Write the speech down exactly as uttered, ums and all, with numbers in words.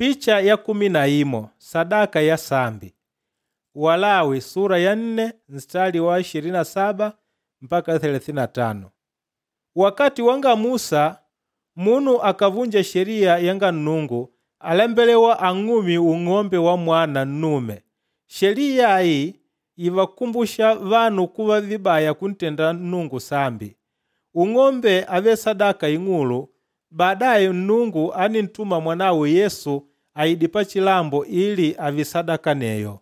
Picha ya kumi na imo sadaka ya sambi. Walawi sura ya nne mstari wa ishirini na saba mpaka thelathini na tano. Wakati wanga Musa munu akavunja sheria yanga Nnungu alembelewa ang'umye ung'ombe wa mwana nnume. Sheliya ayi ivakumbusha vanu kuva vibaya kuntenda Nnungu sambi. Ung'ombe ávele sadaka ing'ulu, baadaye Nnungu ánintuma mwanawe Yesu aide pachilambo ili ààve sadaka aneyo.